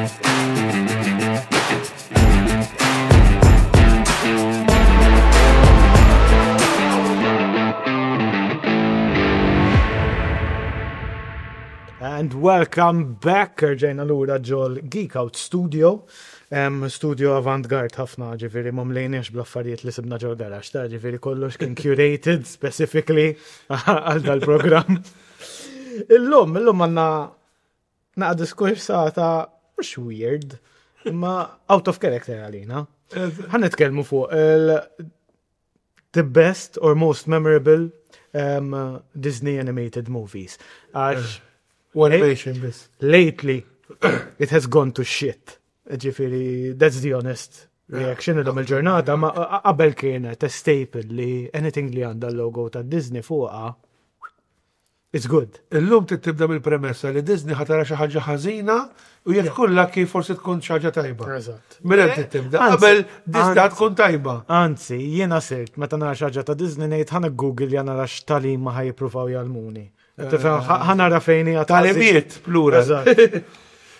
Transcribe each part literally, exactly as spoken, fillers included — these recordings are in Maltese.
And welcome back, rġajna lura ġol Geek Out Studio. Um, studio avant-garde ħafna, ġifieri ma mlejniex bl-affarijiet li sibna ġol garaxx, ta' ġifieri kollox kien curated specifically għal dal-program. Illum, illum għandna naqa diskursata mhux weird, imma out of character għalina. Ħa nitkellmu fuq il- the best or most memorable um, Disney animated movies. Għax Animation biss. Lately it has gone to shit. Ġifieri, that's the honest reaction illum il-ġurnata, ma qabel kienet a staple li anything li għandha l-logo ta' Disney fuqha, it's good. Illum tibda mill-premessa li Disney ħa tara xi ħaġa ħażina u jekk tkun lucky forsi tkun xi ħaġa tajba. Eżatt. Minn hemm tibda. Anzi, Qabel Disney anzi. tkun tajba. Anzi, jiena sirt, meta nara xi ħaġa ta' Disney ngħid ħa Google ja nara x'tagħlim ma ħa jippruvaw jgħallmuni. Tifhem, ħa nara fejn hija Tagħlimiet plural. Eżatt.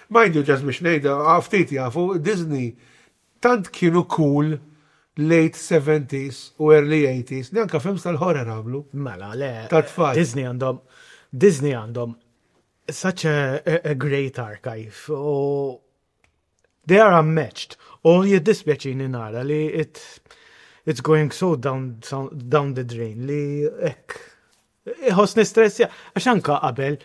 Mind you, just biex ngħidha, ftit jafu, Disney tant kienu cool late seventies u early eighties, li anka films tal-horror għamlu. Mela, le. Ta' tfal. Disney għandhom, Disney għandhom such a, a, a great archive. U they are unmatched. U jiddispjaċini nara li it, it's going so down, down the drain li ek. Iħossni stressja. Għax anka qabel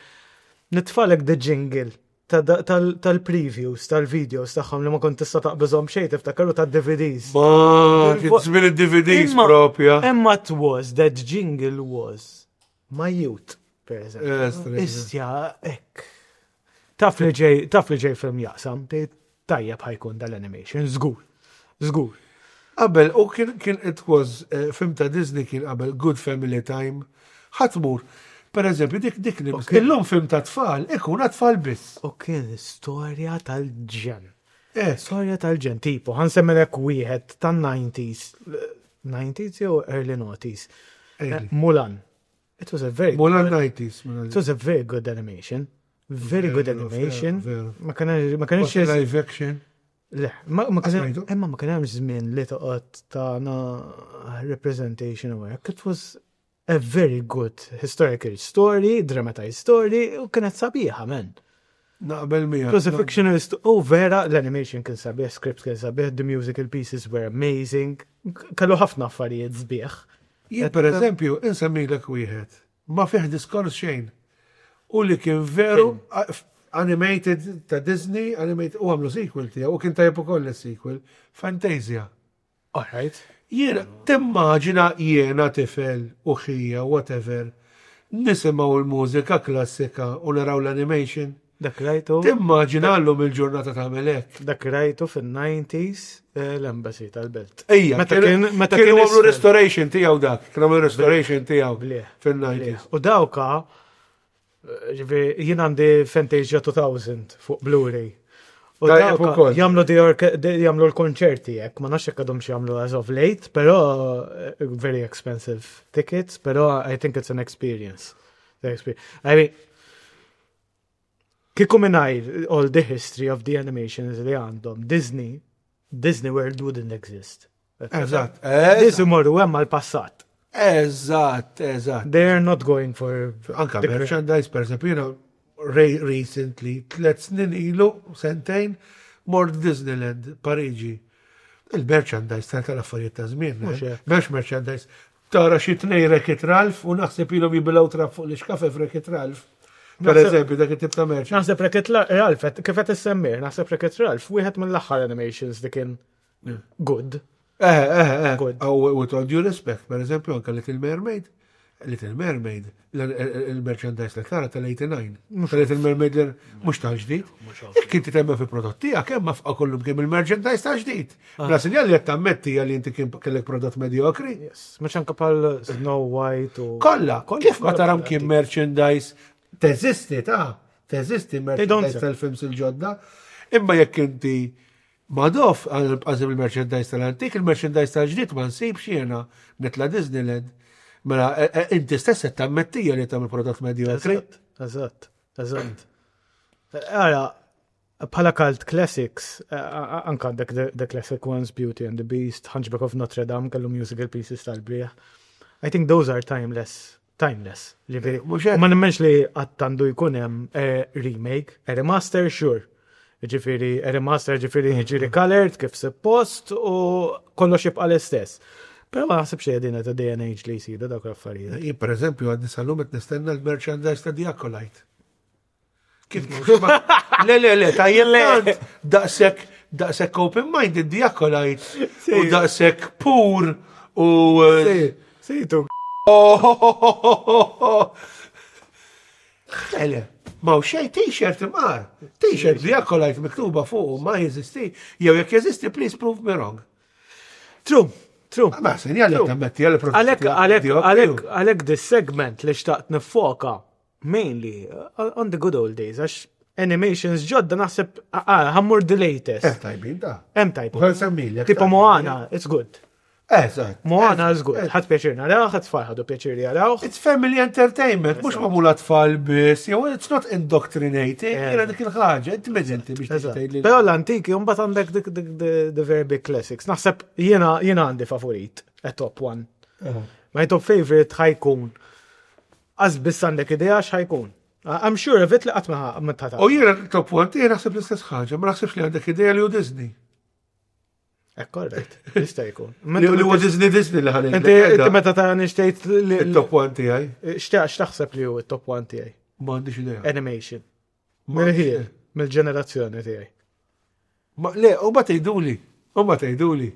nitfagħlek the jingle ta- tal- tal-previews, tal-videos tagħhom li ma kont tista' taqbeżhom xejn, tiftakaru tad-D V Ds. Ma, kien żmien id-D V Ds Imma- propja. Imma it was, that jingle was my youth, per eżempju. Eh, straight. Istja, ek. Taf li ġej, taf li ġej film jaqsam, tgħid tajjeb ħa jkun dal-animation, żgur. Żgur. Qabel, u kien, kien it was, eh, film ta' Disney kien qabel good family time, ħa tmur. Per eżempju, dik dik li Ok. illum film ta' tfal, ikun tfal biss. U kien storja tal-ġenn. Eh, Storja tal-ġenn, tipo, ħa nsemmilek wieħed tan-nineties, nineties jew early noughties. Early. Mulan. It was a very Mulan nineties. It was a very good animation. Very good Veru, animation. veru, veru. Ma kien ma kienx Live action. Le, ma ma kien Smajtu? imma ma kien hemm żmien li toqgħod tana representation u hekk. It was a very good historical story, dramatized story, u kienet sabiħa, man. Naqbel miegħek. It was a fictional story. Oh, vera, l-animation kien sabiħ, script kien sabiħ, the musical pieces were amazing. Kellu ħafna affarijiet sbieħ. Jien per eżempju, insemmilek wieħed, ma fih diskors xejn. U li kien veru a- animated ta' Disney, animated, u għamlu sequel tiegħu, u kien tajjeb ukoll is-sequel, Fantasia. All right. Jiena, timmaġina jiena tifel u ħija, whatever, nisimgħu l-mużika klassika u naraw l-animation. Dak rajtu. Timmaġina llum il-ġurnata tagħmel hekk. Dak rajtu fin-nineties eh, l-Embassy tal-Belt. Ejja, Meta kien meta kienu kien għamlu isfel. restoration tiegħu dak, kienu għamlu restoration tiegħu Blieh. fin-nineties. U dawka, eh, ġifieri, jien għandi Fantasia two thousand fuq Blu-ray. U Tajjeb dawka ukoll. jagħmlu the orke- de- jagħmlu l-konċerti hekk, ma nafx jekk għadhom xi jagħmlu as of late, però eh, very expensive tickets, però I think it's an experience. The experience. I mean, kieku mingħajr all the history of the animations li għandhom, Disney, Disney World wouldn't exist. Eżatt, Nies imorru hemm għal-passat. eżatt, eżatt. They are not going for Anka the merchandise, per eżempju, jiena re- recently, tlet snin ilu, sentejn, mort Disneyland, Pariġi. Il-merchandise tal tal-affarijiet ta' żmien. Mhux eh? hekk. Mhux merchandise. Tara xi tnej Wreck-It Ralph u naħseb ilhom jibilgħu trab fuq l-ixkafef Wreck-It Ralph. Per Naħseb- eżempju, dak it-tip ta' merch. Naħseb Wreck-It Ralph, kif qed issemmir, naħseb Wreck-It Ralph, wieħed mill-aħħar animations li kien good. Eh, eh, eh. Good. Oh, with all due respect, per eżempju, anka Little Mermaid, Little Mermaid, l- il-merchandise li tara tal-eighty-nine. Tal-Little Mermaid li mhux tal-ġdid. Jekk inti temmen fi prodott tiegħek, hemm fqa kollu kemm il-merchandise tal-ġdid. Bla sinjal li qed tammetti li inti kien kellek prodott mediokri. Yes. Mhux anka pal Snow White u. Kolla, Kolla, kif ma kolla taram kolla. kien merchandise teżisti ta' teżisti don't merchandise sell. tal-films il-ġodda, imma jekk inti madof għazim il-merchandise tal-antik, il-merchandise tal-ġdid ma nsibx jiena nitla Disneyland. Mela, e- e- inti stess qed tammettija li tagħmel prodott mediokri. Eżatt, eżatt, eżatt. Ara, Bħala cult classics, eh, anka għandek the, the classic ones, Beauty and the Beast, Hunchback of Notre Dame, kellu musical pieces tal-brieħ. I think those are timeless. Timeless. Ġifieri, Mhux hekk. Ma nemmenx li qatt għandu jkun hemm eh, remake, a remaster, sure. Ġifieri, a remaster ġifieri ġiri colored kif suppost u kollox jibqa l-istess. Però ma naħsibx li qegħdin ta' day and age li jsiru dawk l-affarijiet. Jien per eżempju għadni sal-lum qed nistenna l-merchandise ta' The Acolyte. Kif mhux ma- Le, le, le, tajjeb tant, daqshekk daqshekk open-minded The Acolyte u daqshekk pur u eh, Sejtu. Oh, Le, le, ma u xej t-shirt imqar. T-shirt The Acolyte miktuba fuq ma jeżisti. Jew jekk jeżisti, please prove me wrong. True, true. Ma sinjal jekk tammetti għal Għalek, għalek, għalek, għalek this segment li xtaqt nifoka mainly uh, on the good old days, għax animations ġodda naħseb, ah, ħa mmur the latest. Eh, tajbin da. Hemm tajb. U għal semmilek. Tipo Moana, it's good. Eżatt. Moana is good. Ħadt pjaċir naraw, ħadt tfal ħadu pjaċir jaraw. It's family entertainment, mhux magħmul tfal biss, jew it's not indoctrinating, Eh. jiena dik il-ħaġa, inti meġenti biex Eżatt. tgħid li. Però l-antiki, mbagħad għandek dik dik the the very big classics. Naħseb jiena jiena għandi favorit, a top one. My top favorite ħa jkun. Għax biss għandek idea x'ħa jkun. I'm sure of it li qatt ma ma tata. U jiena top one tiegħi naħseb l-istess ħaġa, ma naħsibx li għandek idea li hu Disney. Ekk, right, jista' jkun. Li li huwa Disney Disney li ħalli. Inti inti meta ta' nixtejt li il-top one tiegħi. xtaq x'taħseb li hu it-top one tiegħi? Ma għandix idea. Animation. Ma għandix Mill-ħin, idea. mill-ġenerazzjoni tiegħi. Ma le, u ma tgħiduli, u ma tgħiduli.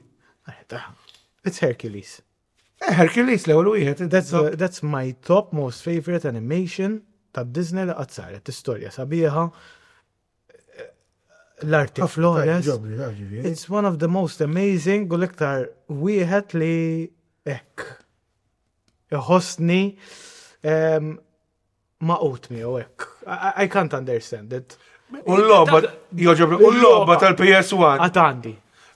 It's Hercules. Eh, Hercules l-ewwel wieħed. That's, the, that's my top most favorite animation ta' Disney li qatt saret. Istorja sabiħa. L-arti flawless. Ġobni, da, ġifieri. It's one of the most amazing u l-iktar wieħed li hekk. Iħossni um, maqut miegħu hekk. I, I can't understand it. U l-logħba, joġobni, u l-logħba tal-P S one. Għad għandi.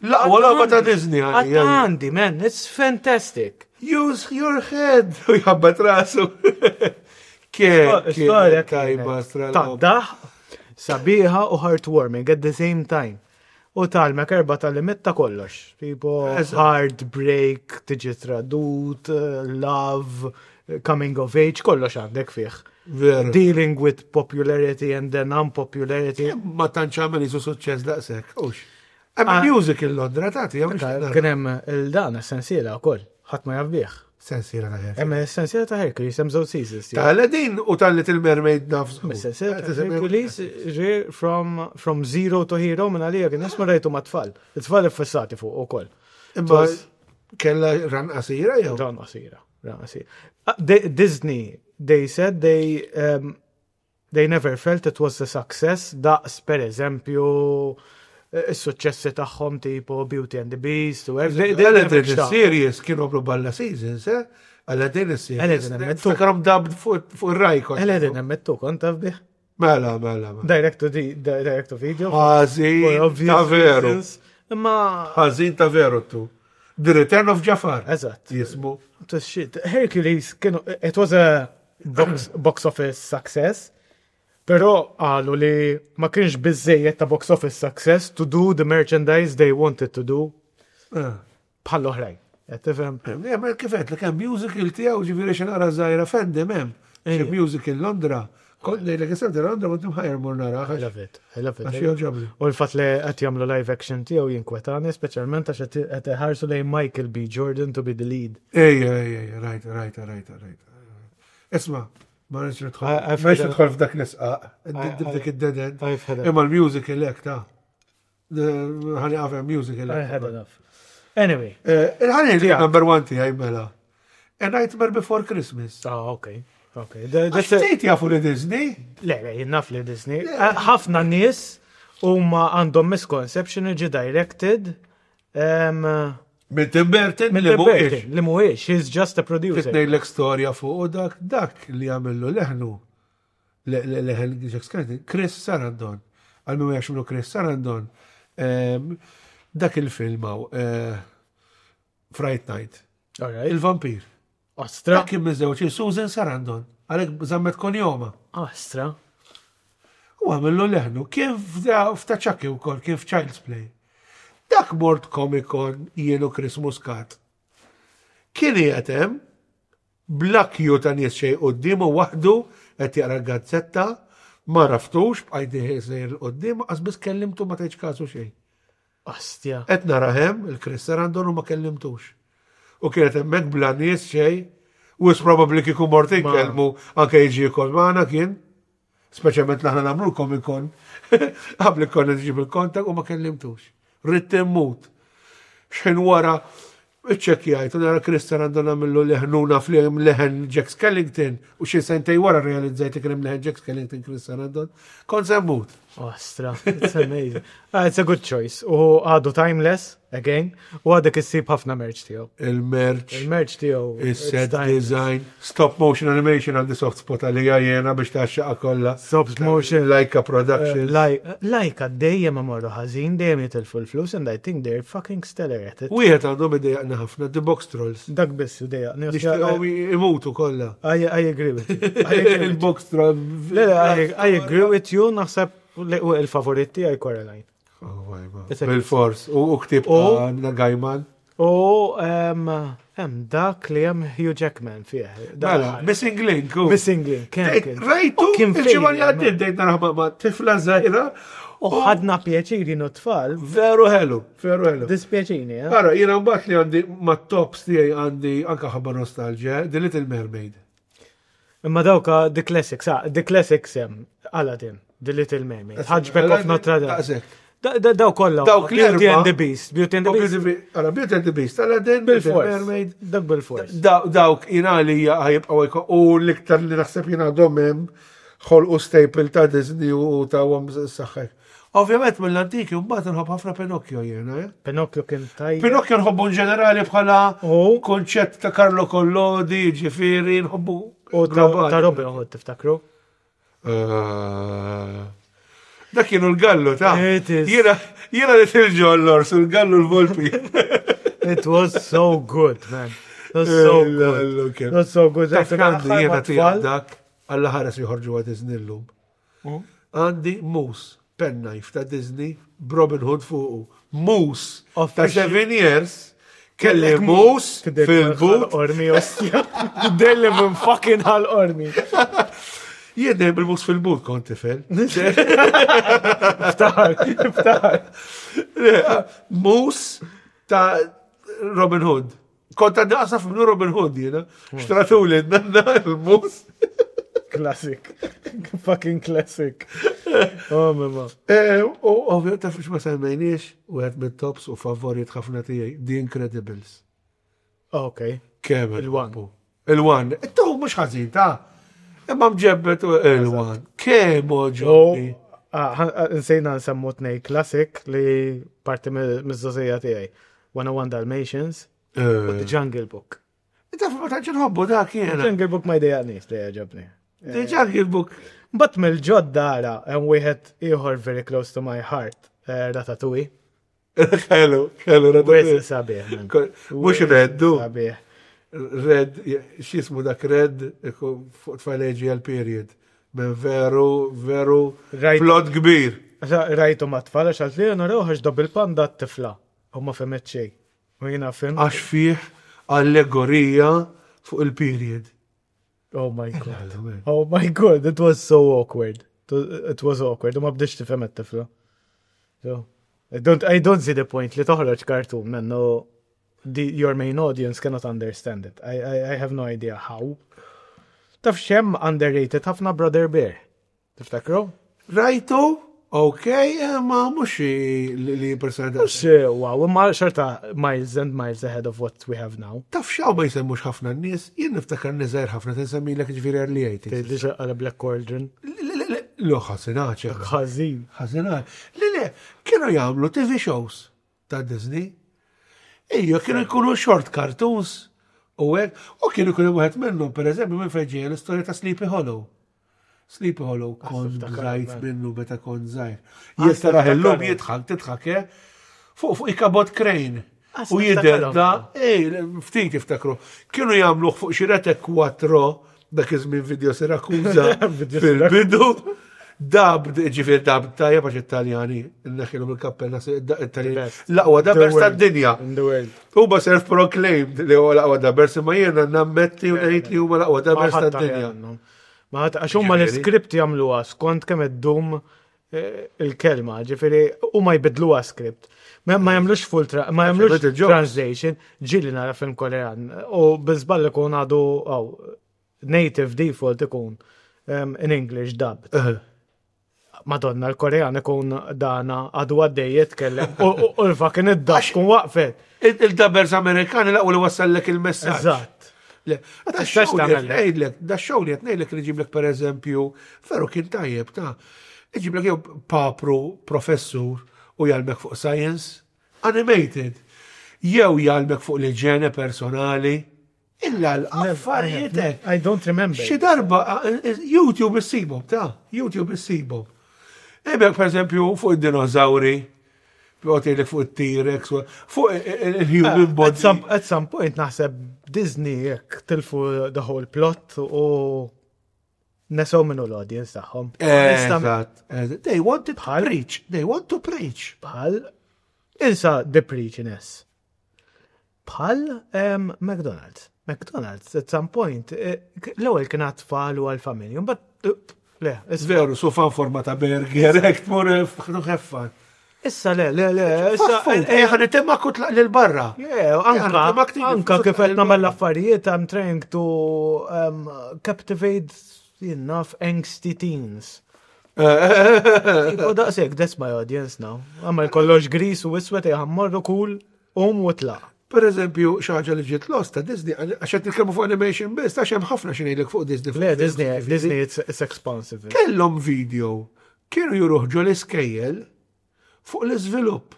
L-aqwa logħba ta' Disney Għad għandi. għandi, man, it's fantastic. Use your head. U jħabbat rasu. Ke, Storja tajba, kienet Ta' daħ, sabiħa u heartwarming at the same time. U tgħallmek erba tal-limit ta' kollox. Tipo Eżatt. heartbreak, tiġi tradut, love, coming of age, kollox għandek fih. Veru. Dealing with popularity and then unpopularity. Ma tantx għamel jisu suċċess daqshekk. Ux. Hemm Ah. musical Londra tagħti, jew mhux Kien hemm il-dan sensiela wkoll, ħadd ma jaf bih. Sensiela ta' Hercules. Hemm sensiela ta' Hercules, hemm żewġ seasons. Ta' Aladdin u tal Little Mermaid nafsu. Sensiela ta' Hercules ġi from, from zero to hero minn għalija kien nisma rajtu ma' tfal. It-tfal iffissati fuq ukoll. Imma kella run qasira jew? Run qasira, run qasira. Ah, they- Disney, they said they um, they never felt it was a success daqs per eżempju eh, is-suċċessi tagħhom tipo Beauty and the Beast u hekk. They- they never Aladdin xtaqu. series kienu għamlu balla seasons, eh? Aladdin series. Aladdin emmettu. Ftakarhom dubbed fuq fuq ir-Rai kont. Aladdin emmettu kont taf bih. Mela, mela, mela. Direct to the direct to video. For Ħażin obvious ta' veru. reasons. Imma Ħażin ta' veru tu. The Return of Jafar. Eżatt. Jismu. It was shit. Hercules kienu it was a box, box office success. Però qalu li ma kienx biżejjed ta' box office success to do the merchandise they wanted to do Ah. bħal oħrajn. Qed tifhem? Ja, ma kif qed li kemm musical tiegħu ġifieri xi nara żgħira fandom hemm. Xi Ejja. musical Londra. Kont ngħidlek isem ta' Londra kont imħajjar mur nara. I love it. I love Għax it. jogħġobni. U l-fatt li qed jagħmlu live action tiegħu jinkwetani, speċjalment għax qed qed iħarsu lejn Michael B. Jordan to be the lead. Ejja, ejja, ejja, rajt, rajt, rajt, rajt. Isma, ma rridx nidħol. I- I've Ma rridx had a- nidħol f'dak l-isqaq, I- f'dik id-dead end. I've had Imma l-musical hekk ta' ħani għafem musical I hekk. had enough. Anyway. Eh, Il-ħani li Tiegħek. number one tiegħi mela. A Nightmare Before Christmas. Ah, okay. Okay. The- Għax That's a, ftit jafu li Disney. Le, le, jien naf li Disney. Eh, ħafna nies huma għandhom misconception li ġi directed um, Minn Tim Burton minn li Tim mhuwiex. Burton, li mhuwiex, he's just a producer. Titnejlek storja fuq u dak, dak li għamillu leħnu, le- le- leħen Jack Skellington, Chris Sarandon. Għal min ma jafx minnu Chris Sarandon. Em, Dak il-film hawn, eh, Fright Night, All right. il-vampir. Ostra. Dak kien miżewġ Susan Sarandon, għalhekk żammet konjoma. Ostra. U għamillu leħnu, kien f'ta' Chucky wkoll, kien f'Child's Play. Dak mort Comic Con jien u Chris Muscat. Kien qiegħed hemm bla queue ta' nies xejn quddiemu waħdu qed jaqra l-gazzetta, ma għaraftux, bqajt sejjer 'il quddiem, qas biss kellimtu ma tajtx kasu xejn. Ostja. Qed nara hemm il-Chris Sarandon u ma kellimtux. U kienet hemmhekk bla nies xejn, u probably kieku mort inkellmu anke jiġi jkoll magħna kien. Speċjalment l aħna nagħmlu Comic Con. Qabli konna nġib il-kontak u ma kellimtux. Ridt immut. Xħin wara iċċekkjajt u nara Chris Sarandon għamillu leħnuna flim leħen Jack Skellington u xi sentej wara realizzajt li kien hemm leħen Jack Skellington Chris Sarandon. Kont se mmut. Ostra, it's amazing. Ah, it's a good choice. U għadu timeless, again, u għadek issib ħafna merch tiegħu. Il-merch. Il-merch tiegħu. Il-set it's timeless. design, stop motion animation għandi soft spot għalija jena biex taxxaqa kollha. Stop motion. Laika Productions. Uh, Laika dejjem imorru ħażin, dejjem jitilfu l-flus, and I think they're fucking stellar at it. Wieħed għandhom idejjaqna ħafna, The Box Trolls. Dak biss idejjaqni. Nixtieqhom imutu kollha. I, I agree with you. I agree with you. Il-Box Trolls. Le, le, I, I agree with you, naħseb li- u il-favorit tiegħi Coraline. Oh, ajma. It's a- Bil-fors. U u ktib U- ta' Gaiman. U em, hemm dak li hemm Hugh Jackman fih. Dak Mela, Missing Link. u. Missing Link, kemm Dejt, kien. Rajtu, U kien il-ġimgħa li failure, għaddiet dejt naraħ ma' ma' tifla żgħira. U ħadna pjaċiri no tfal, Veru ħelu, veru ħelu. dispjaċini, eh? Ara, jiena mbagħad li għandi ma' tops tiegħi għandi anka ħabba nostalgia, The Little Mermaid. Imma dawka The Classics, ah, The Classics hemm, Aladdin, The Little Mermaid, Hunchback of Notre Dame. Daqshekk. Da- da- Daw kollha. Dawk Beauty l-erba'. and the Beast, Beauty and the Beast. Ara, Beauty and the Beast, Aladdin, Little Bil-fors. Mermaid. Dak bil-fors. Daw- Dawk jina li ħajibqaw jkun u l-iktar li naħseb jina għadhom hemm ħolqu staple ta' Disney u ta' għom saħħek. Ovvjament mill-antiki mbagħad nħobb ħafna Pinocchio jiena. eh? Pinocchio kien tajjeb. Pinocchio nħobbu in ġenerali bħala U konċett ta' Carlo Collodi, ġifieri, nħobbu u ta' globali. ta' Robin Hood tiftakru. Eh, Dak kienu l-gallu ta' It is. Jiena jiena li tilġollors, il-gallu l-volpi. It was so good, man. It was so good. It was so good. Taf għandi jiena Ma' tfal. tiegħek dak, Alla ħares joħorġu għad Disney llum. Mm. Għandi moose, penknife ta' Disney, Robin Hood fuqu. Moose ta' Official- seven years, kelli moose Tidher fil-but. Ormi ostja. Tidher li minn fucking ħal ormi. Jien dejjem bil-moose fil-but kont tifel. Ftaħar, ftaħar. Moose ta' Robin Hood. Kont għandi qasaf minnu Robin Hood jiena. Xtratu li nanna il-moose. Classic. Fucking classic. Oh, mama. Eh, U ovvju taf ma semmejniex, u għed mit-tops u favorit ħafna tiegħi, The Incredibles. Ok. Kemm Il-one. Il-one. Tu mhux ħażin ta' imma mġebbet u il-one. Kemm għoġobni. Ah, ah, Nsejna nsemmu tnej classic li parti miż-żgħożija tiegħi. One oh one Dalmatians u The Eh, Jungle Book. Taf ma tantx nħobbu dak jiena. Jungle Book ma jdejjaqnix li jogħġobni. The Jungle Book. But mill-ġodda ara, hemm wieħed ieħor very close to my heart, eh, Ratatouille. Ħelu, ħelu, Wis sabiħ, man. Mhux reddu. Sabiħ. Red, x'jismu dak red, fuq tfajleġi għal-period. Men veru, veru, Rajt- plot kbir. Rajtu ma tfal, għax għalt li naraw għax double panda t-tifla. U ma fehmet xejn. U jiena fim. Għax fih allegorija fuq il-period. Oh my God. Oh my God, it was so awkward. It was awkward. U ma bdietx tifhem it-tifla. So, I don't, I don't see the point li toħroġ cartoon, man. No, the, your main audience cannot understand it. I, I, I have no idea how. Taf x'hemm underrated ħafna Brother Bear. Tiftakru? Rajtu, ok, eh, ma mhux li li personali. Mux, wow, imma xorta miles and miles ahead of what we have now. Taf xaw ma jsemmux ħafna n-nies, jien niftakar niżgħir ħafna tinsemmilek ġifieri early eighties. Tgħidli għala Black Cauldron. Lo ħasinaċ. Ħażin. Ħasinaċ. Le, le, kienu jagħmlu T V shows ta' Disney. Ejja, kienu jkunu short cartoons u hekk, u kienu jkunu wieħed minnhom, pereżempju, minn fejn ġejja l-istorja ta' Sleepy Hollow. Sleepy Hollow kont niftakar, bżajt man. minnu meta kont żgħir. Ah, Jekk taraħ illum niftakar. jidħak, tidħak, eh? Fuq fuq Ichabod Crane. Ah, U jidher niftakarhom. da, ej, ftit jiftakru. Kienu jagħmluh fuq xi Rete Quattro dak iż-żmien Video Siracusa Video fil-bidu. Dubbed, ġifieri dubbed tajjeb għax Italjani, neħilhom il-kappella Italjani. Best. L-aqwa dubbers The world. tad-dinja. In the world. Huma self-proclaimed li huwa l-aqwa dubbers, imma jiena nammetti u ngħid li huma l-aqwa dubbers Ma ħadd tad-dinja. aħjar Ma ħadd għax huma Ġifieri. l-iskript jagħmluha skont kemm iddum eh, il-kelma, ġifieri huma jbidluha script. Ma ma jagħmlux full tra ma jagħmlux Little jokes. translation, ġieli nara film Korean u biżball ikun għadu aw, native default ikun um, in English dubbed. Madonna, l-Korean ikun dana għadu għaddej jitkellem u u- u l-fucking id-dub tkun waqfet. Il-dubbers Amerikani l-aqwa li wassallek il-messaġġ. Eżatt. Le, da tistax show li tagħmel qed ngħidlek, da show li qed ngħidlek li ġiblek per eżempju, veru kien tajjeb ta' iġiblek jew papru professur u jgħallmek fuq science, animated, jew jgħallmek fuq l-iġene personali, illa l-affarijiet hekk. I don't remember. Xi darba eh, YouTube issibhom, ta' YouTube issibhom. Ebek per eżempju fuq id-dinożawri, fuq fuq it-T-Rex, fuq il-human At body. some, at some point naħseb Disney jekk tilfu the whole plot u nesow minnu l-audience tagħhom. Eżatt. eżatt. They wanted to Bħal- preach. They want to preach. Bħal insa the preachiness. Bħal um, McDonald's. McDonald's at some point eh, l-ewwel kien għat-tfal u għal-familja, but le, issa- Veru, sufan forma ta' burger, hekk tmur have fun. issa le, le, le, issa Issa, eh, ħan itemma kutlaq lil barra. Yeah, anka, anka kif qed nagħmel l-affarijiet, I'm trying to um, captivate enough angsty teens. U daqshekk, that's my audience now. Għamel kollox gris u iswed jħammorru cool, um u tlaq. Per eżempju, xaġa li ġiet lost ta' Disney, għax qed nitkellmu fuq animation biss, għax hemm ħafna xi ngħidlek fuq Disney. fuq Le, films, Disney, ġifieri. Disney, it's, it's expansive. Kellhom video, kienu juruh ġo l-iskejjel fuq l-iżvilupp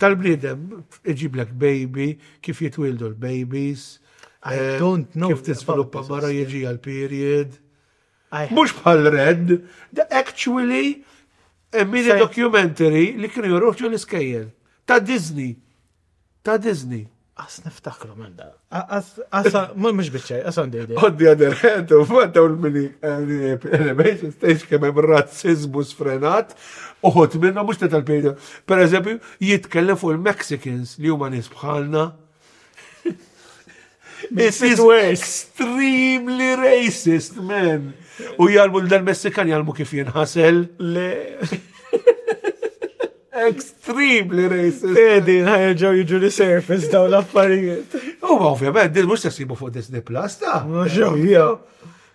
tal-bniedem, iġiblek baby, kif jitwildu l-babies, I eh, don't know kif tiżviluppa about this. mara jiġi għal-period. I- Mhux bħal Red, the actually a mini Sej- documentary li kienu juruh ġo l-iskejjel. Ta' Disney. Ta' Disney. As niftakru minn da. As, as, mux biċċej, as għandi idea. On the other hand, u daw il-mini animation stage kemm hemm razzizmu sfrenat, uħut minna mhux ta' tal-periodu. Per eżempju, jitkellem fuq il-Mexicans li huma nies bħalna. It it is worse. extremely racist, man. U jgħallmu dal-Messikan jgħallmu kif jinħasel. Le, Extremely racist. Edi, ħajerġaw jiġu li surface daw l-affarijiet. U ma ovvjament, din mhux se ssibu fuq Disney Plus, ta' Mhux ovvja.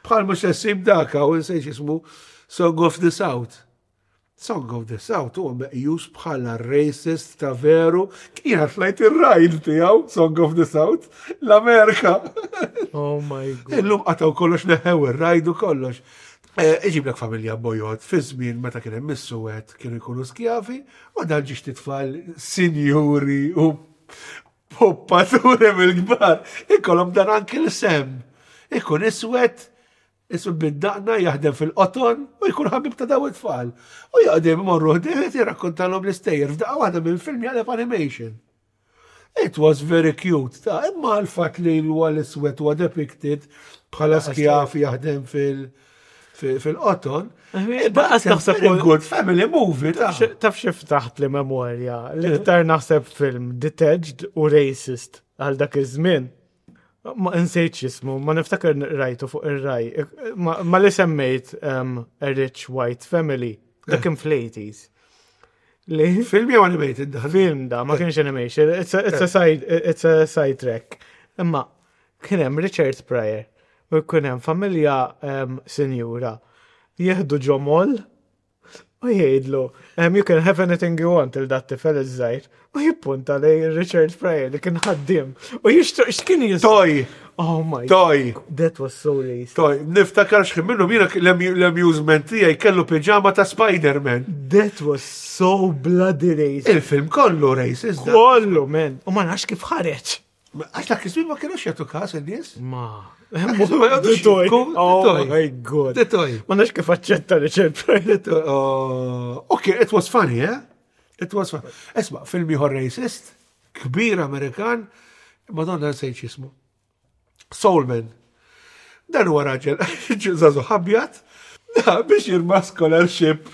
Bħal mhux se ssib dak u nsejx jismu Song of the South. Song of the South huwa meqjus bħala racist ta' veru. Kien tlajt ir-ride tiegħu Song of the South l-Amerika. Oh my god. Illum qataw kollox neħew ir-ride u kollox. Eh, Iġiblek familja bojod fi żmien meta kien hemm is-suwed kienu jkunu skjavi u dan ġiex titfal sinjuri u poppaturi mill-kbar. Ikollhom dan anki l-sem. Ikun iswed, iswed bid-daqna jaħdem fil-qoton u jkun ħabib ta' daw it-tfal. U jaqdem imorru ħdejh jirrakkontalhom l-istejjer f'daqqa waħda minn film jaqleb animation. It was very cute. Ta' imma l-fat li huwa l-iswed huwa depicted bħala skjaf jaħdem fil- fil- fil-qoton. Baqas naħseb Very good family movie, ta' Taf xi ftaħt li memorja, l-iktar naħseb film detached u racist għal dak iż-żmien. Ma nsejt x'ismu, ma niftakar rajtu fuq ir-raj. Ma ma li semmejt um, A Rich White Family, dak kien fl-eighties. Li Film jew animated dan? film da, ma kienx animation, it's a, it's a side, it's a side track. Imma kien hemm Richard Pryor u kien hemm familja um, sinjura jieħdu ġo mall u jgħidlu um, you can have anything you want il dat tifel iż-żgħir u jippunta lej Richard Pryor li kien ħaddiem u jixtru x'kien jis Toy, Oh my toy, That was so racist. toy. Niftakar x'ħin minnhom jiena l-amusement tiegħi kellu piġama ta' Spider-Man. That was so bloody racist. Il-film kollu racist. da. Kollu, man. U ma nafx kif ħareġ. Għax dak iż-żmien ma kienux jagħtu każ in-nies. Ma. Ma jgħodux The toy. jibku, the Oh toy. my god. The toy. Ma nafx kif aċċetta Richard Pryor. Oh, Okay, it was funny, eh? It was funny. Esma, film ieħor racist, kbir Amerikan, Madonna nsejt x'ismu. Soul Man. Dan huwa raġel żagħżugħ abjad, Da, biex jirbaħ scholarship.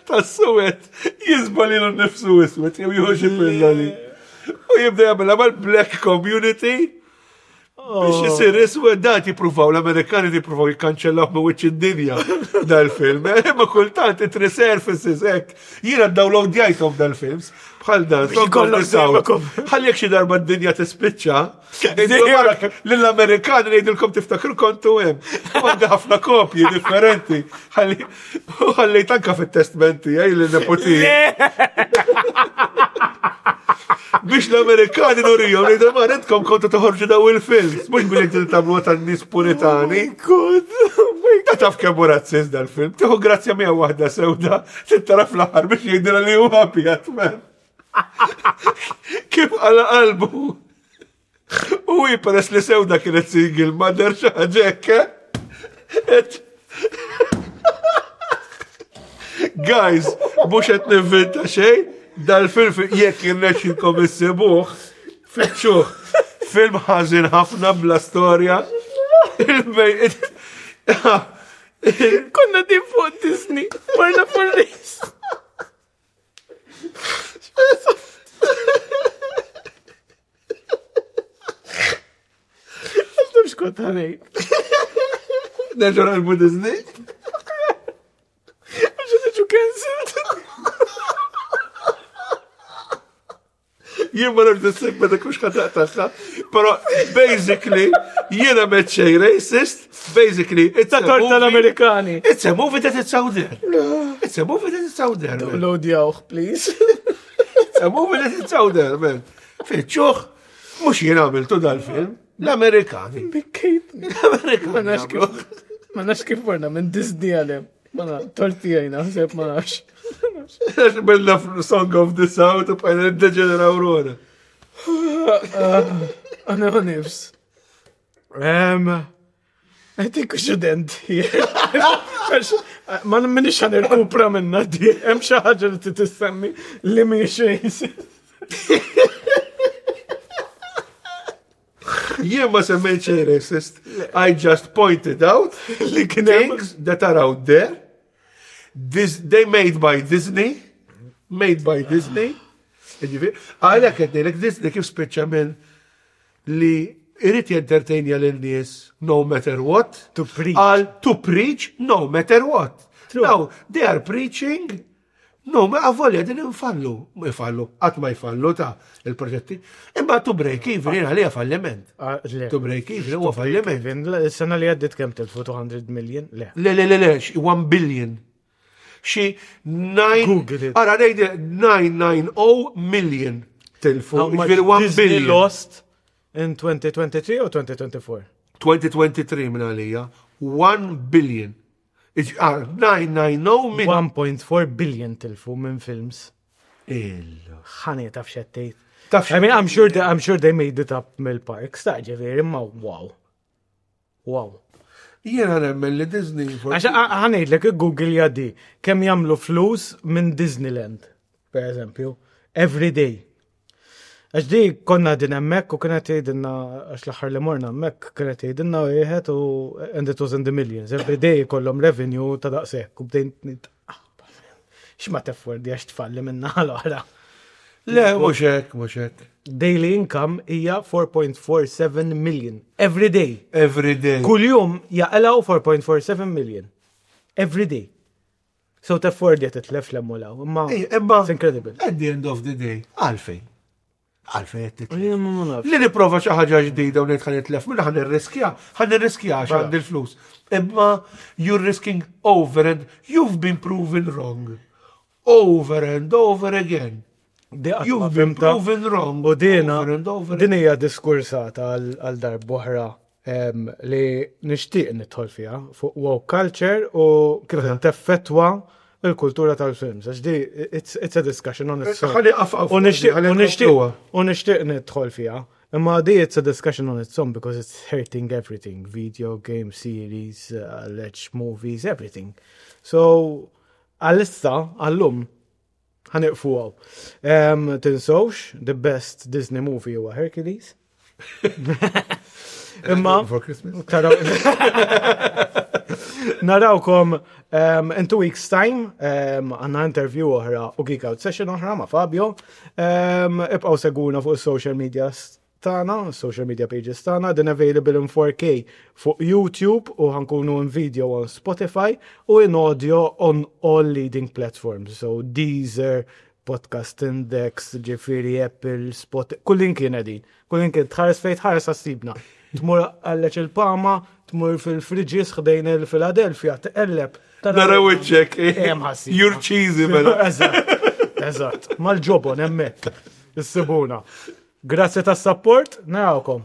Tas-suwed jiżboq lilu nnifsu iswed, jew jieħu xi pilloli. U jibda jagħmilha mal-black community biex jisir iswed dat jippruvaw l-Amerikani jippruvaw jikkanċellaw minn wiċċ id-dinja dal-film. Imma kultant it resurfaces hekk. Jiena downloadjajthom dal-films bħal dan. Song of the Kollok South. dejjem Ħalli jekk xi darba d-dinja tispiċċa, lill-Amerikani ngħidilkom tiftakru kontu hemm. U Għandi ħafna kopji differenti. Ħalli u ħallejt anka fit-testmenti għaj lin-neputi. Biex l-Amerikani nurijom li ma intkom kontu toħorġu daw il-films, mhux biex inti tagħmlu tan-nies puritani. God, oh my Ta' taf kemm hu razzist dal-film. Tieħu grazzja miegħu waħda sewda, tittara fl-aħħar biex jgħidilha li huwa abjad, man. Kif għala qalbu. U hi peress li sewda kienet single mother xi ħaġa hekk, eh? Et- Guys, mhux qed ninvinta xejn, dal-film jekk irnexxilkom issibuh, fittxuh. Film ħażin ħafna bla storja. Il-bej- Konna din fuq Disney, marna fuq race. Għandhom xkont għanej. Nerġa' naqlbu Disney. Għax niġu cancelled. Jien ma nafx is-segment dak mhux ħataqtaħħa, però basically jiena m'għedt xejn racist, basically it's a Ta' tort movie- tal-Amerikani. It's a movie that it's out there. It's a movie that it's out there. man. Downloadjawh, please. It's a movie that it's out there, man. Fittxuh, mhux jien għamiltu dal-film, l-Amerikani. Bikkejtni. L-Amerikani. Ma nafx kif. Ma nafx kif morna minn Disney għalem. Ma nafx, torti għajna, sepp ma nafx. Għax bella Song of the South u bqajna niddeġeneraw ruħna. Għana ma nifs. Um, I think we should end here. Għax, Ma minix ħa nirkupra minna di. Hemm xi ħaġa li titissemmi li mhijiex racist. Jien ma semmejt xejn racist. I just pointed out Li kien hemm things that are out there. This, they made by Disney. Made by Disney. Ġifieri, Għalhekk qed ngħidlek Disney kif spiċċa minn li irid jentertainja lin-nies no matter what. To preach. Għal to preach no matter what. True. Now, they are preaching No, ma avolja din infallu, ma jfallu, qatt ma jfallu ta' il-proġetti. Imma to break even jien għalija falliment. Ah, le. To break even huwa falliment. Even, Is-sena li għaddit kemm tilfu two hundred million? Le. Le, le, le, le, xi one billion. Xi nine. Google it. Ara, ngħid nine hundred ninety million tilfu. How much Ġifieri one Disney billion. lost in twenty twenty-three or twenty twenty-four? twenty twenty-three minn għalija. one billion. Iġ- ah, nine hundred ninety million. one point four billion tilfu minn films. Illa. Ħani taf xettejt. Taf I mean, I'm sure they, I'm sure they made it up mill-parks, ta' ġifieri, imma wow. Wow. Jiena nemmen li Disney. Għax ħa ngħidlek, Google jadi, kemm jagħmlu flus minn Disneyland, per eżempju, every day. Għax di konna din hemmhekk u kienet jgħidilna, għax l-aħħar li morna hemmhekk kienet jgħidilna wieħed u and it was in the millions. Every day kollhom revenue ta' daqshekk u bdejn nit- ah, x'ma teffordi għax tfalli minna l-oħra. Le, mhux hekk, mhux hekk. Daily income hija four point four seven million. Every day. Every day. Kull jum jaqilgħu four point four seven million. Every day. So teffordi titlef l-emmulaw. Imma Ej, imma it's incredible. At the end of the day, għalfejn. Għalfejn qed titlef. Jien ma nafx. Li niprova xi ħaġa ġdida u ngħid ħa nitlef, minna ħa nirriskja, ħa nirriskja għax għandi l-flus. Imma you're risking over and you've been proven wrong. Over and over again. Di qatt ma You've been fhimtha. proven wrong. U dina, Over and over din hija diskursata għal għal darb'oħra em, li nixtieq nidħol fiha fuq woke culture u kif teffettwa il-kultura tal-films. Għax di, it's, it's a discussion on its own. Ħalli qafqaf. U nixtieq ħalli u nixtieq nkompluha. u nixtieq nidħol fiha. Imma di it's a discussion on its own because it's hurting everything. Video game series, uh, alleged movies, everything. So, għalissa, għallum, ħa nieqfu hawn. Um, tinsewx, the best Disney movie huwa Hercules. Imma, For Christmas. taraw. Narawkom um, in two weeks time, um, għandna interview oħra u Geek Out session oħra ma' Fabio. Um, ibqaw segwuna fuq social media tagħna, social media pages tagħna, din available in four K fuq YouTube u ħa nkunu in video on Spotify u in audio on all leading platforms. So Deezer, Podcast Index, ġifieri Apple, Spotify, kullimkien qegħdin. Kullimkien tħares fejn tħares ħa ssibna. Tmur għalleċ il-Pama, tmur fil-Friġis ħdejn il-Philadelphia, tqelleb. Naraw iċ-ċek. Hemm ħa ssibna. You're cheesy, mela. Eżatt, eżatt. Mal-ġobon hemmhekk. Issibuna. Grazzi tas-support, narawkom.